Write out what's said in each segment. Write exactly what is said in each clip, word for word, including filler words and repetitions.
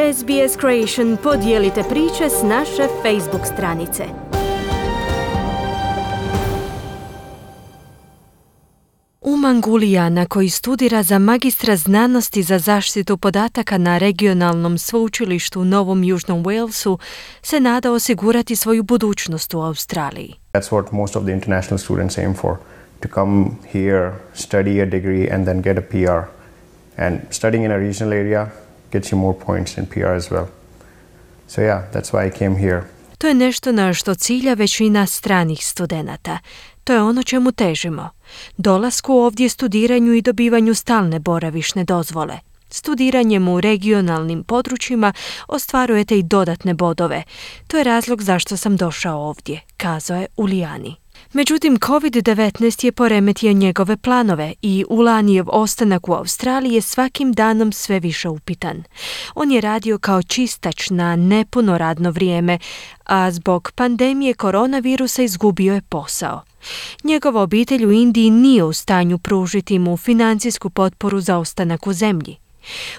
S B S Creation podijelite priče s naše Facebook stranice. Umang Ulijana, koji studira za magistra znanosti za zaštitu podataka na regionalnom sveučilištu u Novom Južnom Walesu, se nada osigurati svoju budućnost u Australiji. That's what most of the international students aim for, to come here, study a degree and then get a P R. And studying in a regional area gets you more points in P R as well. So yeah, that's why I came here. To je nešto na što cilja većina stranih studenata. To je ono čemu težimo. Dolasku ovdje, studiranju i dobivanju stalne boravišne dozvole. Studiranjem u regionalnim područjima ostvarujete i dodatne bodove. To je razlog zašto sam došao ovdje, kazao je Ulijani. Međutim, covid devetnaest je poremetio njegove planove i Ulanijev ostanak u Australiji je svakim danom sve više upitan. On je radio kao čistač na nepuno radno vrijeme, a zbog pandemije koronavirusa izgubio je posao. Njegova obitelj u Indiji nije u stanju pružiti mu financijsku potporu za ostanak u zemlji.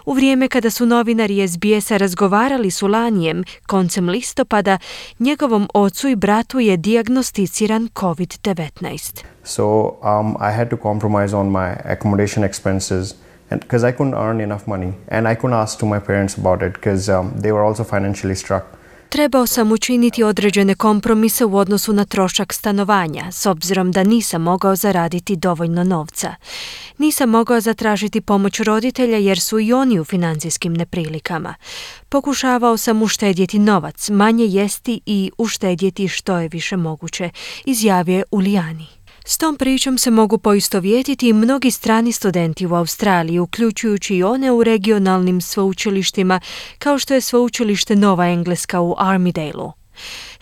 U vrijeme kada su novinari S B S-a razgovarali s Ulanijem koncem listopada, njegovom ocu i bratu je dijagnosticiran covid devetnaest. So um, I had to compromise on my accommodation expenses because I couldn't earn enough money and I couldn't ask to my parents about it because um, they were also financially struck. Trebao sam učiniti određene kompromise u odnosu na trošak stanovanja, s obzirom da nisam mogao zaraditi dovoljno novca. Nisam mogao zatražiti pomoć roditelja jer su i oni u financijskim neprilikama. Pokušavao sam uštedjeti novac, manje jesti i uštedjeti što je više moguće, izjavio je Ulijani. S tom pričom se mogu poistovjetiti i mnogi strani studenti u Australiji, uključujući i one u regionalnim sveučilištima, kao što je sveučilište Nova Engleska u Armidaleu.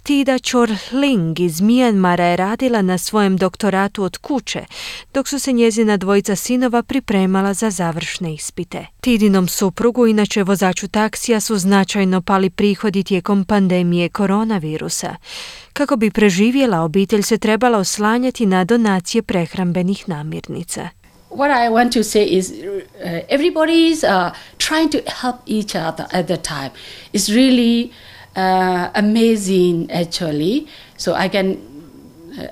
Tida Chorling iz Mijanmara je radila na svojem doktoratu od kuće, dok su se njezina dvojica sinova pripremala za završne ispite. Tidinom suprugu, inače vozaču taksija, su značajno pali prihodi tijekom pandemije koronavirusa. Kako bi preživjela, obitelj se trebala oslanjati na donacije prehrambenih namirnica. What I want to say is uh, everybody is uh, trying to help each other at the time. It's really uh, amazing actually. So I can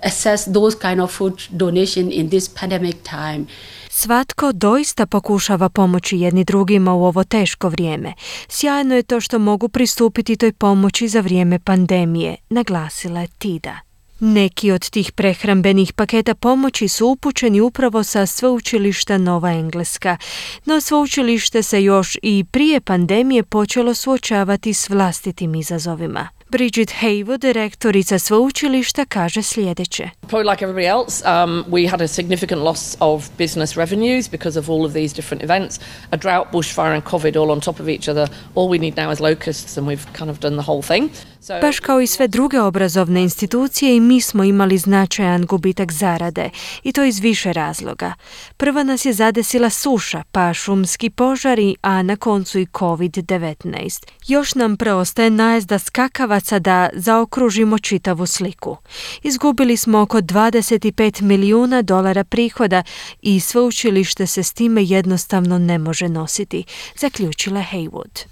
assess those kind of food donation in this pandemic time. Svatko doista pokušava pomoći jedni drugima u ovo teško vrijeme. Sjajno je to što mogu pristupiti toj pomoći za vrijeme pandemije, naglasila je Tida. Neki od tih prehrambenih paketa pomoći su upućeni upravo sa sveučilišta Nova Engleska, no sveučilište se još i prije pandemije počelo suočavati s vlastitim izazovima. Bridget Haywood, direktorica sveučilišta, kaže sljedeće. Probably like everybody else, um, we had a significant loss of business revenues because of all of these different events. A drought, bushfire and COVID all on top of each other. All we need now is locusts and we've kind of done the whole thing. So... Baš kao i sve druge obrazovne institucije, i mi smo imali značajan gubitak zarade, i to iz više razloga. Prva nas je zadesila suša, pa šumski požari, a na koncu i covid devetnaest. Još nam preostaje najezda skakavaca da zaokružimo čitavu sliku. Izgubili smo oko dvadeset pet milijuna dolara prihoda i sveučilište se s time jednostavno ne može nositi, zaključila Haywood.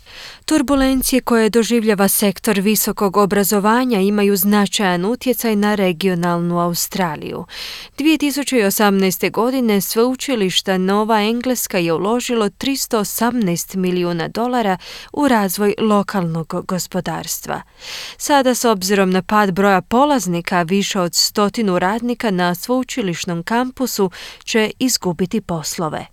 Turbulencije koje doživljava sektor visokog obrazovanja imaju značajan utjecaj na regionalnu Australiju. dvije tisuće osamnaeste. godine sveučilišta Nova Engleska je uložilo tristo osamnaest milijuna dolara u razvoj lokalnog gospodarstva. Sada, s obzirom na pad broja polaznika, više od stotinu radnika na sveučilišnom kampusu će izgubiti poslove.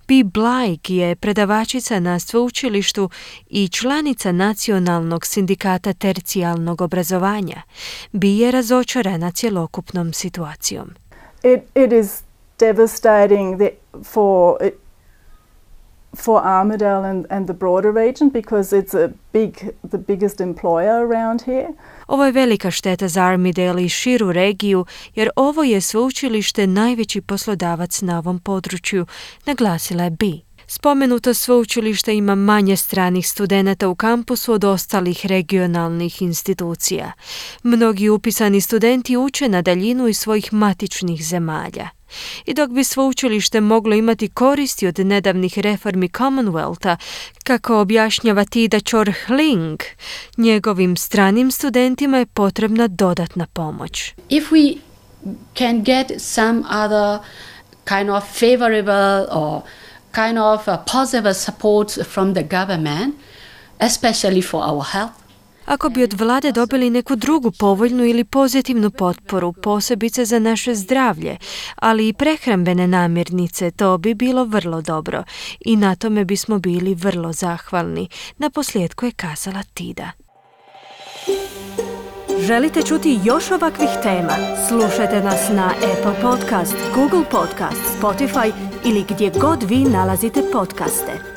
Bea Blake je predavačica na sveučilištu i članica Nacionalnog sindikata tercijalnog obrazovanja. Bea je razočarana cjelokupnom situacijom. It, it is devastating the, for, it, for Armidale and, and the broader region because it's a big, the biggest employer around here. Ovo je velika šteta za Armidale i širu regiju, jer ovo je sveučilište najveći poslodavac na ovom području, naglasila je Bea. Spomenuto sveučilište ima manje stranih studenata u kampusu od ostalih regionalnih institucija. Mnogi upisani studenti uče na daljinu iz svojih matičnih zemalja. I dok bi sveučilište moglo imati koristi od nedavnih reformi Commonwealtha, kako objašnjava Tida Chor-Hling, njegovim stranim studentima je potrebna dodatna pomoć. If we can get some other kind of favorable or kind of uh, positive support from the government, especially for our health. Ako bi od vlade dobili neku drugu povoljnu ili pozitivnu potporu, posebice za naše zdravlje, ali i prehrambene namirnice, to bi bilo vrlo dobro i na tome bismo bili vrlo zahvalni. Naposljetku je kazala Tida. Želite čuti još ovakvih tema? Slušajte nas na Apple Podcast, Google Podcast, Spotify ili gdje god vi nalazite podcaste.